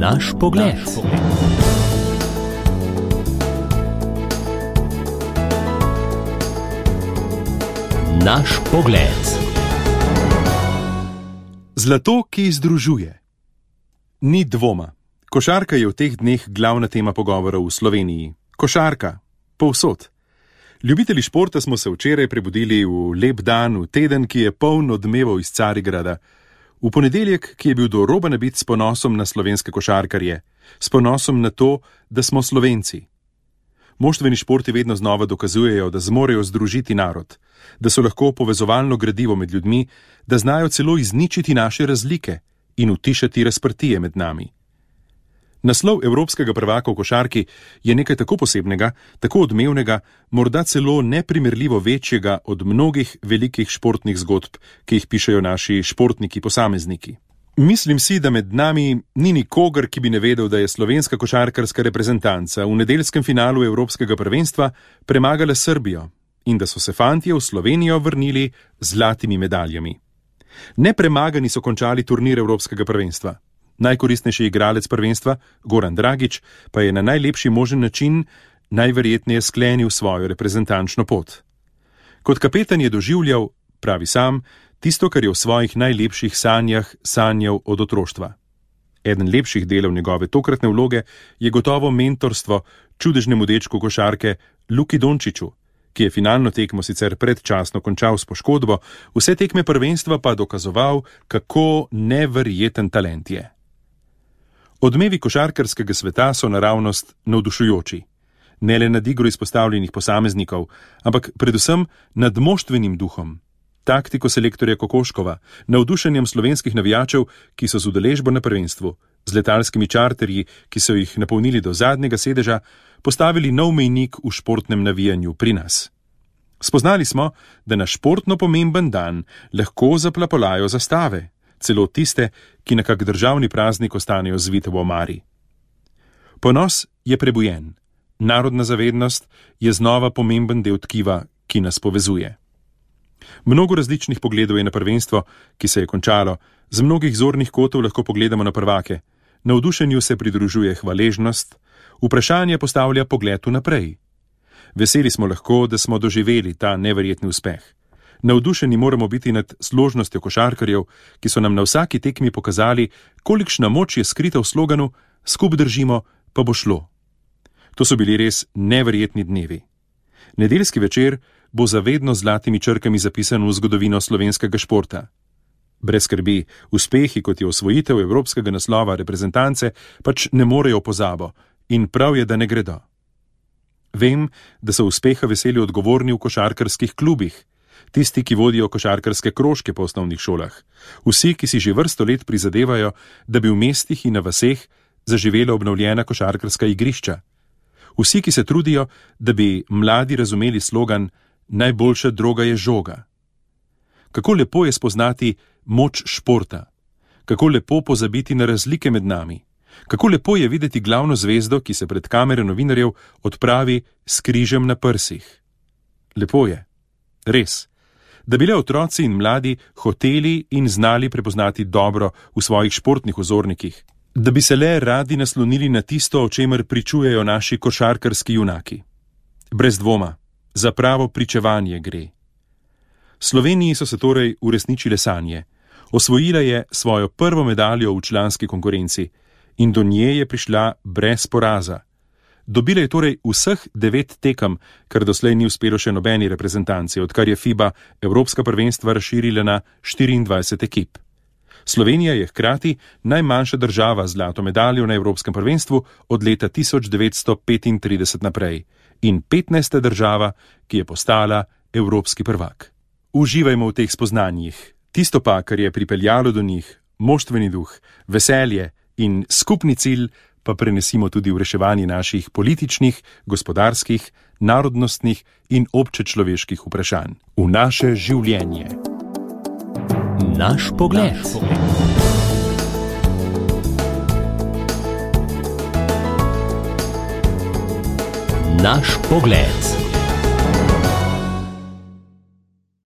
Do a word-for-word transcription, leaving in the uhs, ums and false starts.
Naš pogled. Naš pogled. Zlato, ki združuje. Ni dvoma. Košarka je v teh dneh glavna tema pogovorov v Sloveniji. Košarka. Povsod. Ljubitelji športa smo se včeraj prebudili v lep dan, v teden, ki je poln odmevov iz Carigrada. V ponedeljek, ki je bil do roba nabit s ponosom na slovenske košarkarje, s ponosom na to, da smo Slovenci. Moštveni športi vedno znova dokazujejo, da zmorejo združiti narod, da so lahko povezovalno gradivo med ljudmi, da znajo celo izničiti naše razlike in utišati razprtije med nami. Naslov evropskega prvaka v košarki je nekaj tako posebnega, tako odmevnega, morda celo neprimerljivo večjega od mnogih velikih športnih zgodb, ki jih pišejo naši športniki posamezniki. Mislim si, da med nami ni nikogar, ki bi ne vedel, da je slovenska košarkarska reprezentanca v nedeljskem finalu evropskega prvenstva premagala Srbijo in da so se fantje v Slovenijo vrnili z zlatimi medaljami. Nepremagani so končali turnir evropskega prvenstva. Najkoristnejši igralec prvenstva, Goran Dragić, pa je na najlepši možen način najverjetneje sklenil svojo reprezentančno pot. Kot kapetan je doživljal, pravi sam, tisto, kar je v svojih najlepših sanjah sanjal od otroštva. Eden lepših delov njegove tokratne vloge je gotovo mentorstvo čudežnemu dečku košarke Luki Dončiću, ki je finalno tekmo sicer predčasno končal s poškodbo, vse tekme prvenstva pa dokazoval, kako neverjeten talent je. Odmevi košarkarskega sveta so naravnost navdušujoči. Ne le nad igro izpostavljenih posameznikov, ampak predvsem nad moštvenim duhom, taktiko selektorja Kokoškova, navdušenjem slovenskih navijačev, ki so z udeležbo na prvenstvu, z letalskimi čarterji, ki so jih napolnili do zadnjega sedeža, postavili nov mejnik v športnem navijanju pri nas. Spoznali smo, da na športno pomemben dan lahko zaplapolajo zastave, celo tiste, ki na kak državni praznik ostanejo zvite v omari. Ponos je prebujen, narodna zavednost je znova pomemben del tkiva, ki nas povezuje. Mnogo različnih pogledov je na prvenstvo, ki se je končalo, z mnogih zornih kotov lahko pogledamo na prvake, navdušenju se pridružuje hvaležnost, vprašanje postavlja pogled vnaprej. Veseli smo lahko, da smo doživeli ta neverjetni uspeh. Navdušeni moramo biti nad složnostjo košarkarjev, ki so nam na vsaki tekmi pokazali, kolikšna moč je skrita v sloganu "Skup držimo, pa bo šlo". To so bili res neverjetni dnevi. Nedeljski večer bo zavedno z zlatimi črkami zapisan v zgodovino slovenskega športa. Brez skrbi, uspehi, kot je osvojitev evropskega naslova reprezentance, pač ne morejo v pozabo in prav je, da ne gredo. Vem, da so uspeha veseli odgovorni v košarkarskih klubih, tisti, ki vodijo košarkarske krožke po osnovnih šolah, vsi, ki si že vrsto let prizadevajo, da bi v mestih in na vaseh zaživela obnovljena košarkarska igrišča, vsi, ki se trudijo, da bi mladi razumeli slogan "Najboljša droga je žoga". Kako lepo je spoznati moč športa, kako lepo pozabiti na razlike med nami, kako lepo je videti glavno zvezdo, ki se pred kamere novinarjev odpravi s križem na prsih. Lepo je, res, da bi le otroci in mladi hoteli in znali prepoznati dobro v svojih športnih vzornikih, da bi se le radi naslonili na tisto, o čemer pričujejo naši košarkarski junaki. Brez dvoma, za pravo pričevanje gre. Sloveniji so se torej uresničile sanje. Osvojila je svojo prvo medaljo v članski konkurenci in do nje je prišla brez poraza. Dobila je torej vseh devet tekem, kar doslej ni uspelo še nobeni reprezentanci, odkar je FIBA evropska prvenstva razširila na štiriindvajset ekip. Slovenija je hkrati najmanjša država z zlato medaljo na evropskem prvenstvu od leta tisoč devetsto petintrideset naprej in petnajsta država, ki je postala evropski prvak. Uživajmo v teh spoznanjih, tisto pa, kar je pripeljalo do njih, moštveni duh, veselje in skupni cilj, pa prenesimo tudi v reševanje naših političnih, gospodarskih, narodnostnih in občečloveških vprašanj. V naše življenje. Naš pogled. Naš pogled.